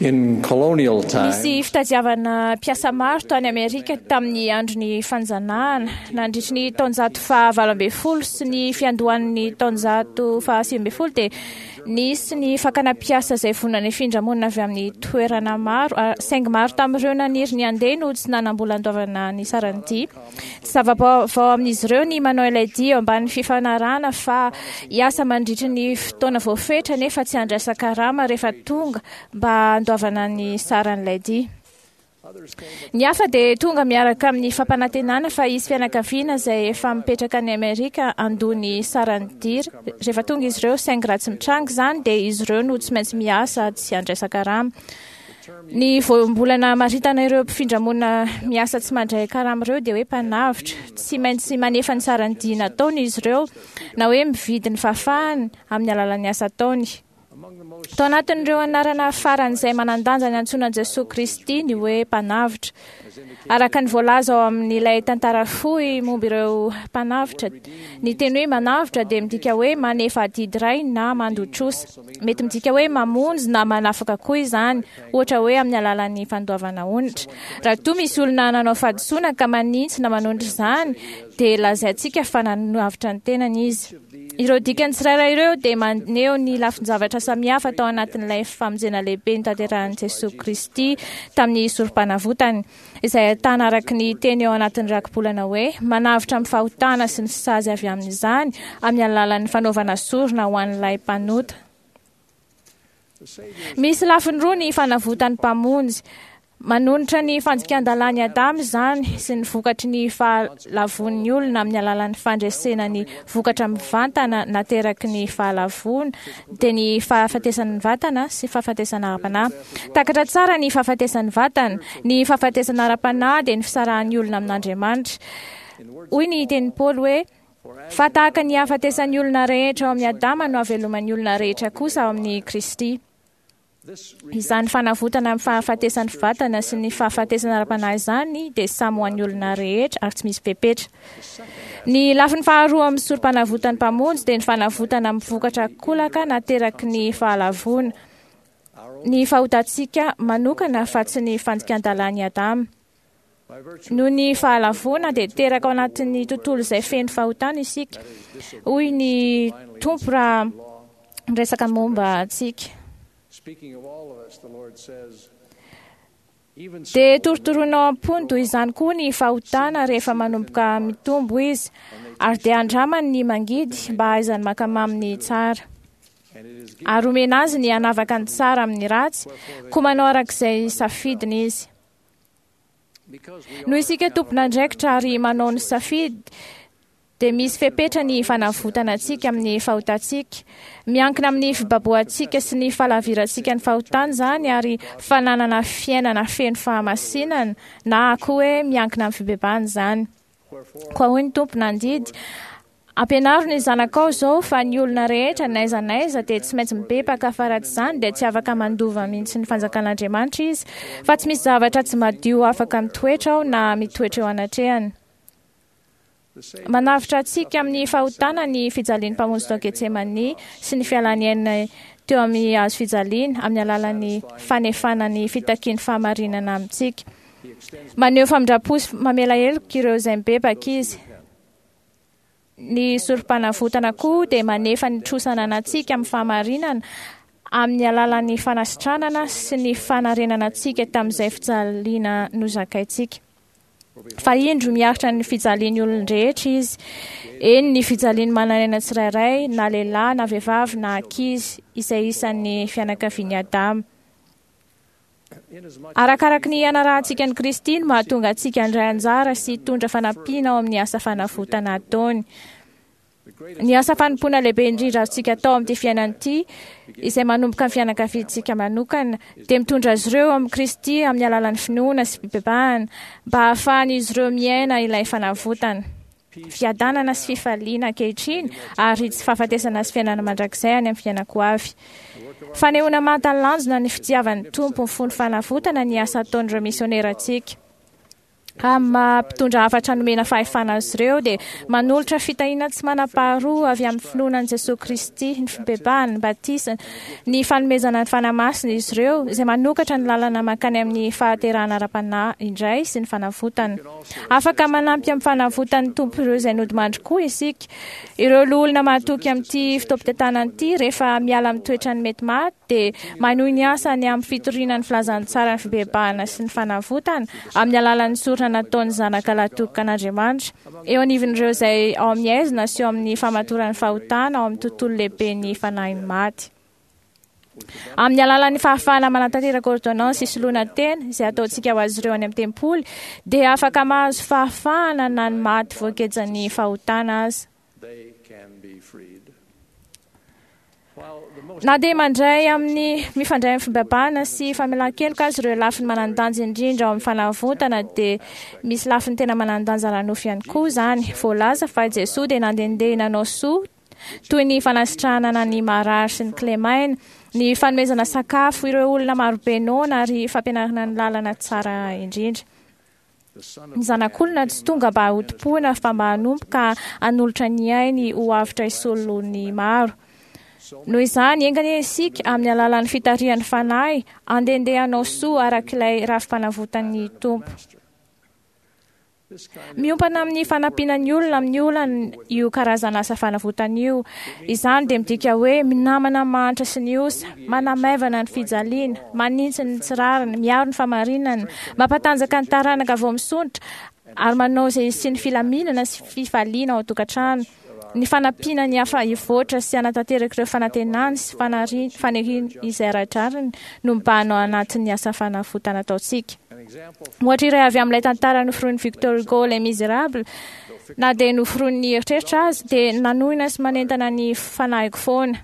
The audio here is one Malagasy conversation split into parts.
In colonial times, Nisy fitadiavana mpiasa maro tany Amerika tamin'ny andron'ny fanjanahana nandritry ny taonjato faha-18 sy ny fiandohan'ny taonjato faha-19 dia nisy ny fakana mpiasa izay vonona nifindra monina avy amin'ny toerana maro, saingy maro tamin'ireo naniry ny handeha no tsy nanam-bola handoavana ny saran'ny dia. Tsy zava-baovao amin'izy ireo ny manao ilay dia eo ambanin'ny fifanarahana fa hiasa mandritry ny fotoana voafetra nefa tsy handraisan-karama rehefa tonga mba handoavana ny saran'ilay dia. Ny hafa dia tonga miaraka amin'ny fampanantenana fa hisy fianakaviana izay efa mipetraka any Amerika handoa ny saran'ny dia rehefa tonga izy ireo, saingy raha tsy mitranga izany dia izy ireo no tsy maintsy miasa tsy handraisan-karama. Ny voambolana hamaritana ireo mpifindra-monina miasa tsy mandray karama ireo dia hoe mpanavotra. Tsy maintsy manefa ny saran'ny dia nataony izy ireo, na hoe mividy ny fahafahany amin'ny alalan'ny asa ataony. Tao anatin'ireo anarana faran'izay manan-danja niantsoana an'i Jesoa Kristy ny hoe Mpanavotra. Araka ny voalaza ao amin'ilay tantara fohy momba ireo mpanavotra, ny teny hoe manavotra dia midika hoe manefa adidy iray na mandoa trosa. Mety midika hoe mamonjy na manafaka koa izany, ohatra hoe amin'ny alalan'ny fandoavana onitra. Raha toa misy olona nanao fahadisoana ka manitsy na manonitra izany, dia lazaintsika fa nanavotra ny tenany izy. Ireo dikany tsirairay ireo dia maneho ny lafin-javatra samihafa tao anatin'ilay famonjena lehibe notanterahin'i Jesoa Kristy tamin'ny Sorompanavotany, izay ahitana araka ny teny eo anatin'ny rakibolana hoe manavotra amin'ny fahotana sy ny sazy avy amin'izany amin'ny alalan'ny fanaovana sorona ho an'ilay mpanota. Misy lafiny roa ny fanavotan'ny Mpamonjy. Manonitra ny fandikan-dalàn'i Adama izany sy ny vokatry ny fahalavoan'ny olona amin'ny alalan'ny fandresena ny vokatra mivantana nateraky ny fahalavoana, dia ny fahafatesan'ny vatana sy fahafatesana ara-panahy. Takatra tsara ny fahafatesan'ny vatana. Ny fahafatesana ara-panahy dia ny fisarahan'ny olona amin'Andriamanitra. Hoy ny tenin'i Paoly hoe, Fa tahaka ny hahafatesan'ny olona rehetra ao amin'i Adama no hahaveloman'ny olona rehetra kosa ao amin'i Kristy. Izany fanavotana amin'ny fahafatesan'ny vatana sy ny fahafatesana ara-panahy izany dia samy ho an'ny olona rehetra ary tsy misy fepetra. Ny lafiny faharoa amin'ny sorom-panavotan'ny Mpamonjy dia ny fanavotana amin'ny vokatra kolaka nateraky ny fahalavoana, ny fahotantsika manokana fa tsy ny fandikan-dalàn'i Adama. Noho ny fahalavoana dia teraka ao anatin'ny tontolo izay feno fahotana isika, hoy ny Tompo raha miresaka momba antsika. Dia torotoroina ao am-pony toy izany koa ny fahotana rehefa manomboka mitombo izy, ary dia andramany ny mangidy mba hahaizany mankamamy ny tsara. Ary omena azy ny hanavaka ny tsara amin'ny ratsy, koa manao araka izay safidiny izy. Noho isika tompon'andraikitra ary manao ny safidy, dia misy fepetra ny fanavotana antsika amin'ny fahotantsika. Miankina amin'ny fibabohantsika sy ny fahalavirantsika ny fahotana izany ary fananana fiainana feno fahamasinana na koa hoe miankina amin'ny fibebahana izany. Koa hoy ny Tompo nandidy, Ampianaro ny zanakao izao fa ny olona rehetra n'aiza n'aiza dia tsy maintsy mibebaka fa raha tsy izany dia tsy afaka mandova mihitsy ny fanjakan'Andriamanitra izy, fa tsy misy zavatra tsy madio afaka mitoetra ao na mitoetra eo anatrehany. Manavotra antsika amin'ny fahotana ny fijalian'ny Mpamonjy tao Getsemania sy ny fialany aina teo amin'ny hazo fijaliana amin'ny alalan'ny fanefana ny fitakian'ny fahamarinana amintsika. Maneho famindram-po sy mamela heloka ireo izay mibebaka Izy. Ny Sorompanavotana koa dia manefa ny trosa ananantsika amin'ny fahamarinana amin'ny alalan'ny fanasitranana sy ny fanarenana antsika tamin'izay fijaliana nozakaintsika. Fa indro miaritra ny fijalian'ny olon-drehetra izy, eny ny fijalian'ny manan'aina tsirairay, na lehilahy na vehivavy na ankizy, izay isan'ny fianakavian'i Adama. Arakaraky ny hanarahantsika an'i Kristy no mahatonga antsika handray anjara sy hitondra fanampiana ao amin'ny asa fanavotana ataony. Ny asa fanompoana lehibe indrindra azontsika atao amin'ity fiainana ity, izay manomboka ny fianakaviantsika manokana, dia mitondra azy ireo amin'i Kristy amin'ny alalan'ny finoana sy fibebahana, mba hahafahan'izy ireo miaina ilay fanavotana. fiadanana sy fifaliana ankehitriny ary tsy fahafatesana sy fiainana mandrakizay any amin'ny fiainako avy. Fanehoana mahatalanjona ny fitiavan'ny Tompo mifono fanavotana ny asa ataon'ireo misionerantsika. Amin'ny maha mpitondra hafatra nomena fahefana azy ireo dia manolotra fitahiana tsy manam-paharoa avy amin'ny finoana an'i Jesoa Kristy, ny fibebahana, ny batisa, ny fanomezana ny Fanahy Masina izy ireo, izay manokatra ny lalana mankany amin'ny fahaterahana ara-panahy indray sy ny fanavotana. Afaka manampy amin'ny fanavotan'ny Tompo ireo izay nodimandry koa isika. Ireo loholona mahatoky amin'ity fotoampitantanana ity rehefa miala amin'ny toetrany mety maty dia manohy ny asany amin'ny fitoriana ny filazantsaran'ny fibebahana sy ny fanavotana amin'ny alalan'ny sorona nataon'ny Zanaka Lahitokan'Andriamanitra eo anivon'ireo izay ao amin'ny aizina sy eo amin'ny famatoran'ny fahotana ao amin'ny tontolo lehiben'ny fanahin'ny maty. Amin'ny alalan'ny fahafahana manatanteraka ôrdônansy isoloana tena izay ataontsika ho azy ireo any amin'ny tempoly, dia afaka mahazo fahafahana na ny maty voagejan'ny fahotana aza. Na dia mandray amin'ny mifandray amin'ny fibebahana sy famelan-keloka aza ireo lafiny manan-danja indrindra ao amin'ny fanavotana, dia misy lafiny tena manan-danja ara-nofo ihany koa izany. Voalaza fa i Jesoa dia nandehandeha nanao soa toy ny fanasitranana ny marary sy ny kilemaina, ny fanomezana sakafo ireo olona marobe noana ary fampianarana ny lalana tsara indrindra. Ny Zanak'olona tsy tonga mba hotompoina fa mba hanompo ka hanolotra ny ainy ho avotra hisolo ny maro. Noho izany, enga anie isika, amin'ny alalan'ny fitarihan'ny Fanahy, handehandeha hanao soa araka ilay rafi-panavotan'ny Tompo. Miompana amin'ny fanampiana ny olona amin'ny olany io karazana asa fanavotana io. Izany dia midika hoe minamana ny mahantra sy ny osa, manamaivana ny fijaliana, manitsy ny tsy rariny, miaro ny famarinana, mampatanjaka ny taranaka vao misondrotra, ary manao izay hisian'ny filaminana sy fifaliana ao an-tokantrano. Ny fanampiana ny hafa hivoatra sy hanatanteraka ireo fanantenany sy faniriany izay ara-drariny no mibahana ao anatin'ny asa fanavotana ataontsika. Ohatra iray avy amin'ilay tantara noforonin'i Victor Hugo Les Misérables, na dia noforonin'ny eritreritra aza, dia nanohina sy manentana ny fanahiko foana.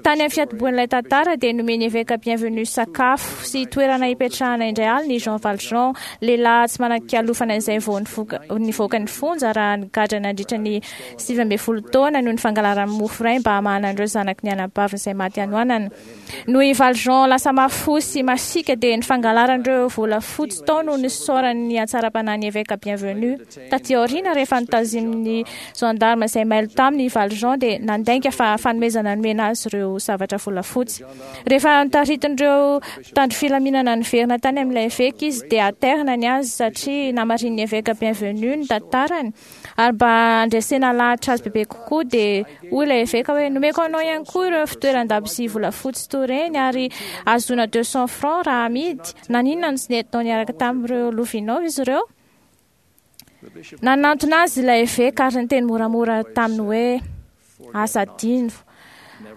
Tany amin'ny fiantombohan'ilay tantara dia nomen'ny eveka Bienvenu sakafo sy toerana hipetrahana indray alina i Jean Valjean, lehilahy tsy manan-kialofana izay vao nivoaka ny fonja raha nigadra nandritra ny 19 taona noho ny fangalarany mofo iray mba hamahana an'ireo zanaky ny anabaviny izay maty hanoanana. Noho i Valjean lasa mafy fo sy masiaka dia ny fangalarany ireo volafotsy tao no nisaorany ny hatsaram-panahin'ny eveka Bienvenu. Taty aoriana rehefa notazimin'ny gendarme izay mailo taminy i Valjean dia nandainga fa fanomezana nomena azy ireo zavatra volafotsy. Rehefa notaritin'ireo mpitandro filaminana niverina tany amin'ilay eveka izy dia aterina ny azy satria namarinin'ny eveka Bienvenu ny tantarany. Ary mba handresena lahatra azy bebe kokoa dia hoy ilay eveka hoe, nomeko anao ihany koa ireo fitoeran-dabozia volafotsy toy ireny ary ahazoana 200 francs raha amidy, naninona no tsy nentinao niaraka tamin'ireo lovianao izy ireo? Nanantona azy ilay eveka ary niteny moramora taminy hoe, aza adino,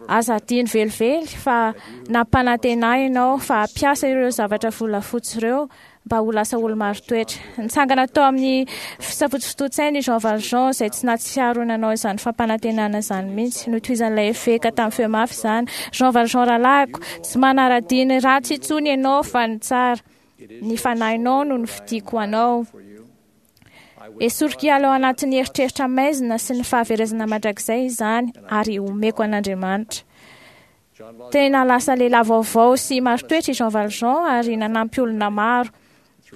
aza adino velively fa nampanantena ahy ianao fa hampiasa ireo zavatra volafotsy ireo mba ho lasa olo-marin-toetra. Nitsangana tao amin'ny fisafotofotoan-tsainy i Jean Valjean izay tsy nahatsiaro nanao izany fampanantenana izany mihitsy. Notohizan'ilay eveka tamin'ny feo mafy izany, Jean Valjean rahalahiko, tsy manara-dia ny ratsy intsony ianao fa ny tsara. Ny fanahinao no nofidiko ho anao. Esoriko hiala ao anatin'ny eritreritra maizina sy ny fahaverezana mandrakizay izany ary omeko an'Andriamanitra. Tena lasa lehilahy vaovao sy marin-toetra i Jean Valjean ary nanampy olona maro.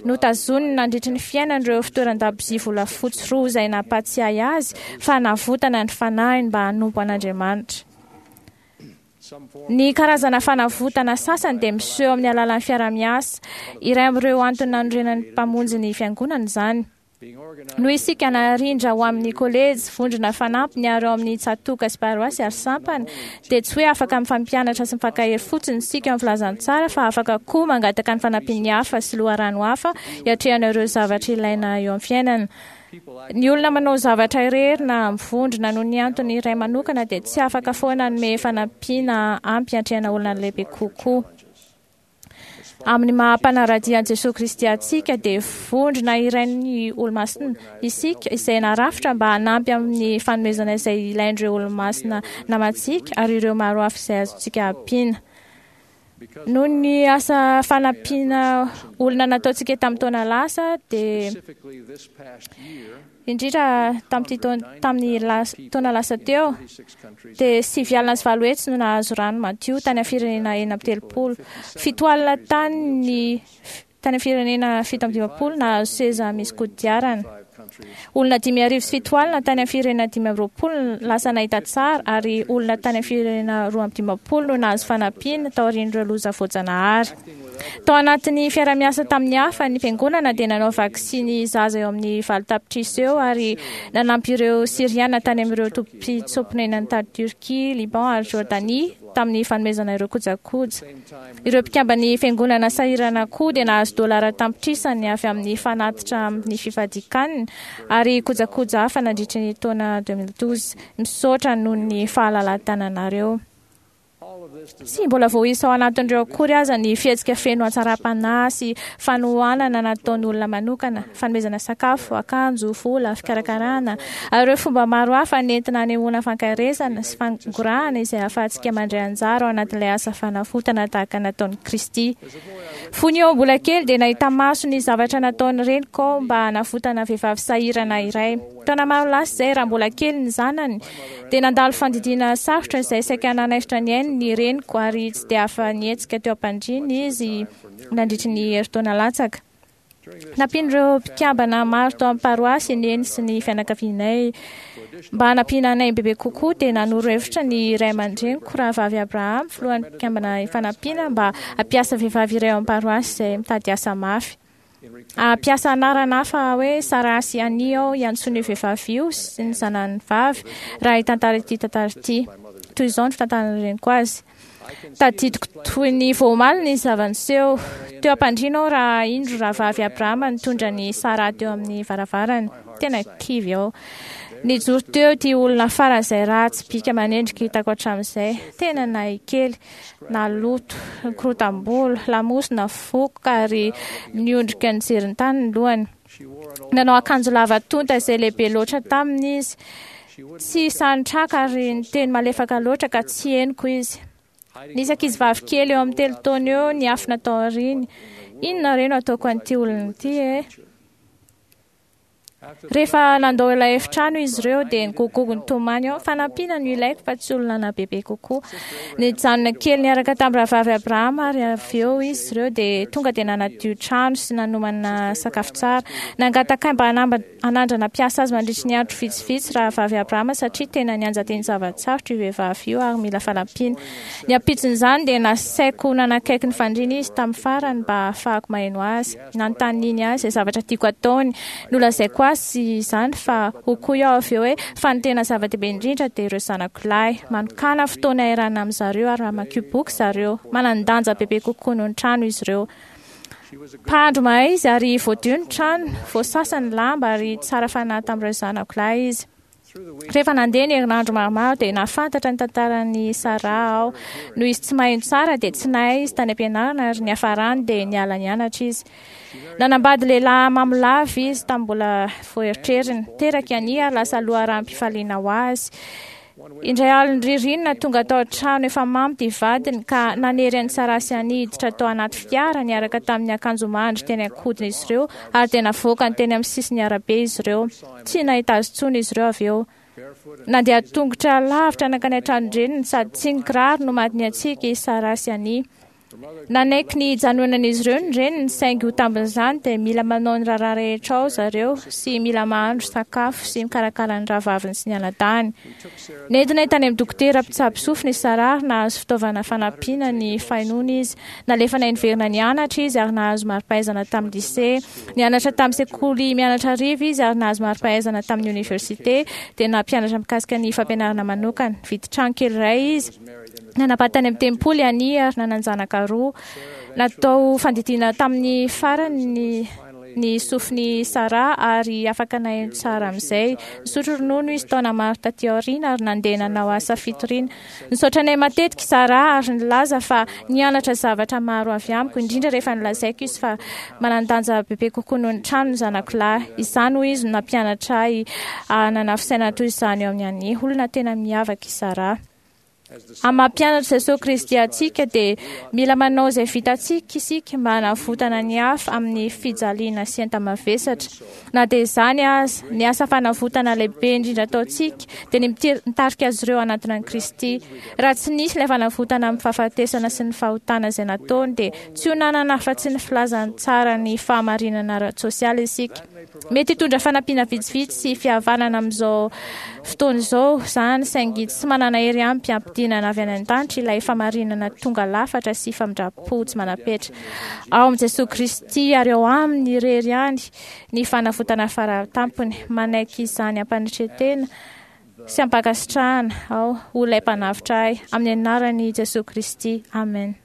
Notazoniny nandritry ny fiainany ireo fitoeran-dabozia volafotsy roa izay nampahatsiahy azy fa navotana ny fanahiny mba hanompo an'Andriamanitra. Ny karazana fanavotana sasany dia miseho amin'ny alalan'ny fiaraha-miasa. Iray amin'ireo antony nanorenan'ny Mpamonjy ny Fiangonana izany. Noho isika narindra ho amin'ny kolejy, vondrona fanampiny ary ao amin'ny tsatòka sy paroasy ary sampana, dia tsy hoe afaka mifampianatra sy mifankahery fotsiny isika eo amin'ny filazantsara fa afaka koa mangataka ny fanampian'ny hafa sy loharano hafa hiatrehana ireo zavatra ilaina eo amin'ny fiainana. Ny olona manao zavatra irery na mivondrona noho ny antony iray manokana dia tsy afaka foana hanome fanampiana ampy hiatrehana olana lehibe kokoa. Amin'ny maha mpanara-dia an'i Jesoa Kristy antsika dia vondrona irain'ny Olomasina isika izay narafitra mba hanampy amin'ny fanomezana izay ilain'ireo Olomasina namantsika ary ireo maro hafa izay azontsika ampiana. Noho ny asa fanampiana olona nataontsika tamin'ny taona lasa dia indrindra tamin'ity tamin'ny taona lasa teo dia 890 no nahazo rano madio tany amin'ny firenena 36. 70 tany ny Tany amin'ny firenena 57 nahazo seza misy kodiarana. Olona 750 tany amin'ny firenena 25 lasa nahita tsara ary olona tany amin'ny firenena 52 no nahazo fanampiana taorian'ireo loza voajanahary. Tao anatin'ny fiarahamiasa tamin'ny hafa, ny fiangonana dia nanao vaksiny zaza eo amin'ny 8 tapitrisa eo ary nanampy ireo Syriana tany amin'ireo tobim-pitsoa-ponenana tany Turquie, Liban ary Jordanie tamin'ny fanomezana ireo kojakoja. Ireo mpikamban'ny fiangonana sahirana koa dia nahazo dolara tapitrisany avy amin'ny fanatitra amin'ny fifadian-kanina ary kojakoja hafa nandritra ny taona 2012. Misaotra noho ny fahalalahan-tananareo. Tsy mbola voaisa ao anatin'ireo akory aza ny fihetsika feno hatsaram-panahy sy fanohanana nataon'olona manokana, fanomezana sakafo, akanjo, vola, fikarakarana, ary ireo fomba maro hafa nentina hanehoana fankaherezana sy fangorahana izay ahafahantsika mandray anjara ao anatin'ilay asa fanavotana tahaka nataon'i Kristy. Fony aho mbola kely dia nahita maso ny zavatra nataon'ny reniko aho mba hanavotana vehivavy sahirana iray. Taona maro lasa izay, raha mbola kely ny zanany, dia nandalo fandidiana sarotra izay saika nanaisotra ny ainy ny reniko ary tsy dia afa-nihetsika teo am-pandriana izy nandritry ny herintaona latsaka. Nampian'ireo mpikambana maro tao amin'ny paroasy i Neny sy ny fianakavianay. Mba hanampiana anay bebe kokoa dia nanoro hevitra ny ray aman-dreniko, Rahavavy Abraham, filohan'ny mpikambana Ifanampiana, mba hampiasa vehivavy iray ao amin'ny paroasy izay mitady asa mafy. Hampiasa anarana hafa hoe Sarah sy Annie aho hiantsoana io vehivavy io sy ny zanany vavy raha hitantara ity tantara ity. Toy izao ny fitantaran'ny reniko azy. Tadidiko toy ny vao omaly ny zava-niseho. Teo am-pandriana aho raha indro rahavavy Abrahama nitondra an'i Sarah teo amin'ny varavarany. Tena kivy aho. Nijoro teo ity olona faran'izay ratsy bika aman'endrika hitako hatramin'izay. Tena nahay kely, naloto, nikorotam-bolo, lamosina vokoka ary niondrika nijery ny tany ny lohany. Nanao akanjo lava tonta izay lehibe loatra taminy izy. Tsy sahy nitraka ary niteny malefaka loatra ka tsy henoko izy. Nisy ankizivavy kely eo amin'ny 3 taona eo niafina tao aoriany. Inona re no ataoko an'ity olona ity e? Rehefa nandao ilay efitrano izy ireo dia nigogogo nitomany aho. Fanampiana no ilaiko fa tsy olona bebe kokoa. Nijanona kely niaraka tamin'ny rahavavy Abrahama ary avy eo izy ireo dia tonga dia nanadio trano sy nanomana sakafo tsara. Nangataka ahy mba hanandrana hampiasa azy mandritry ny andro vitsivitsy rahavavy Abrahama satria tena nianjadian'ny zava-tsarotra io vehivavy io ary mila fanampiana. Ny ampitson'izany dia nasaiko nanakaiky ny fandriana izy tamin'ny farany mba hahafahako maheno azy. Nanontaniany ahy izay zavatra tiako ataony. Nolazaiko azy izany fa hoy koa aho avy eo hoe fa ny tena zava-dehibe indrindra dia ireo zanako lahy. Manokàna fotoana iarahana amin-dry zareo ary mamakio boky zareo. Manan-danja bebe kokoa noho ny trano izy ireo. Mpahandro mahay izy ary voadio ny trano, voasasa ny lamba ary tsara fanahy tamin'ireo zanako lahy izy. Rehefa nandeha ny herinandro maromaro dia nahafantatra ny tantaran'i Sarah aho. Noho izy tsy maheno tsara dia tsy nahay izy tany am-pianarana ary niafarany dia niala nianatra izy. Nanambady lehilahy mamo lava izy tamin'ny mbola voaeritreriny. Teraka i Annie ary lasa loharanom-pifaliana ho azy. Indray alin'ny ririnina tonga tao an-trano efa mamo ity vadiny ka nanery an'i Sarah sy Annie hiditra tao anaty fiara niaraka tamin'ny akanjo mandry teny an-kodin'izy ireo ary dia navoakany teny amin'ny sisin'ny arabe izy ireo. Tsy nahita azy intsony izy ireo avy eo. Nandeha tongotra lavitra nankany an-tranon-dreniny sady tsy nikiraro no maty niantsika i Sarah sy Annie. Nanaiky ny hijanonan'izy ireo ny reniny saingy ho tambin'izany dia mila manao ny raharaha rehetra ao zareo sy mila mahandro sakafo sy mikarakara ny rahavaviny sy ny anadahiny. Nentinay tany amin'ny dokotera mpitsabo sofina i Sarah ary nahazo fitaovana fanampiana ny fahenoana izy. Nalefanay niverina nianatra izy ary nahazo mari-pahaizana tamin'ny lycée. Nianatra tamin'ny sekoly mianatra hariva izy ary nahazo mari-pahaizana tamin'ny oniversite, dia nampianatra mikasika ny fampianarana manokana. Nividy trano kely iray izy. Nanambady tany amin'ny tempoly i Annie ary nanan-janaka roa. Natao fandidiana tamin'ny farany ny ny sofin'i Sarah ary afaka naheno tsara amin'izay. Nisotro ronono izy taona maro taty aoriana ary nandeha nanao asa fitoriana. Nisaotra anay matetika i Sarah ary nilaza fa nianatra zavatra maro avy amiko, indrindra rehefa nolazaiko izy fa manan-danja bebe kokoa noho ny trano ny zanako lahy. Izany, hoy izy, no nampianatra ahy hanana fisainana toy izany eo amin'ny Annie. Olona tena miavaka i Sarah. Amin'ny maha mpianatr'i Jesoa Kristy antsika dia mila manao izay vitantsika isika mba hanavotana ny hafa amin'ny fijaliana sy enta-mavesatra. Na dia izany aza, ny asa fanavotana lehibe indrindra ataontsika dia ny mitarika azy ireo hanatona an'i Kristy. Raha tsy nisy ilay fanavotana amin'ny fahafatesana sy ny fahotana izay nataony dia tsy ho nanana afa-tsy ny filazantsara ny fahamarinana ara-tsosialy isika. Mety hitondra fanampiana vitsivitsy sy fihavanana amin'izao fotoana izao izany, saingy tsy manana hery ampy hampidinana avy any an-danitra ilay fahamarinana tonga lafatra sy famindram-po tsy manam-petra. Ao amin'i Jesoa Kristy ary ao Aminy irery ihany ny fanavotana fara tampony. Manaiky izany am-panetren-tena sy am-pankasitrahana aho ho ilay Mpanavotra ahy, amin'ny anaran'i Jesoa Kristy, amen.